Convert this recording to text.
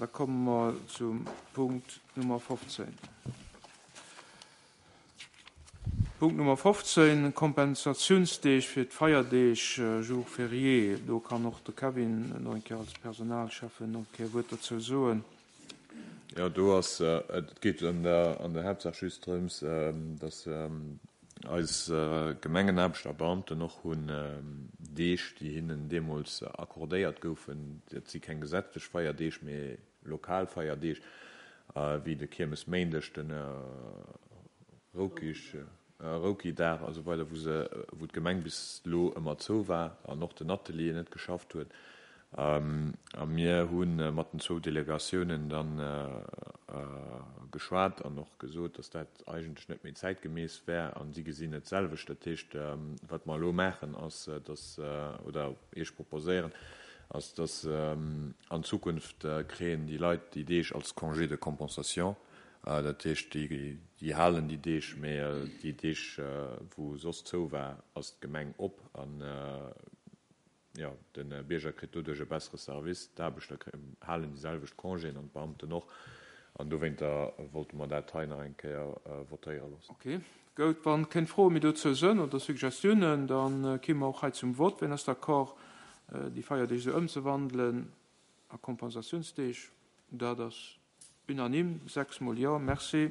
Da komme mer zum Punkt Nummer 15. Punkt Nummer 15, Kompensatiounsdeeg fir d'Feierdeeg, Jours fériés. Do kann och de Kevin nach eng Kéier als Personalschäffen nach eng Kéier e Wuert dozou soen. Jo, do ass, et geet an der, an der Haaptsaach just drëms, dass eis Gemengenaarbechter a Beamten och hunn Deeg, déi hinnen deemools accordéiert goufen, dat si keng gesetzlech Feierdeeg, mee lokal Feierdeeg, wéi de Kiermesméindeg, de Rouki-Dag a sou weider, wou se, wou d'Gemeng bis elo ëmmer zou war an och den Atelier net geschafft huet. A mir hu mat den zwou Delegatiounen da geschwat an och gesot, datt dat eigentlech net méi zäitgemäss wär a si gesinn et d'selwecht. Dat heescht, wat mer elo maachen, ass, datt, oder Iech proposéieren, ass, datt an Zukunft kréien déi Leit déi Deeg als Congé de compensation. Dat heescht, déi halen déi Deeg, mä déi Deeg, wou soss zou war, ass d'Gemeng op. An, jo, de Bierger kritt doduerch e bessere Service, d'Aarbechter halen déi selwecht Congéen an d'Beamten och. An dowéinter wollte mer dat hei nach eng Kéier votéiere loossen. Ok, goud. Wann keng Froe méi dozou sënn oder Suggestiounen, da kimme mer och hei zum Vott. Wien ass d'accord, déi Feierdeeg esou ëmzewandelen a Kompensatiounsdeeg? Dat ass unanime, sechsmol Jo. Merci.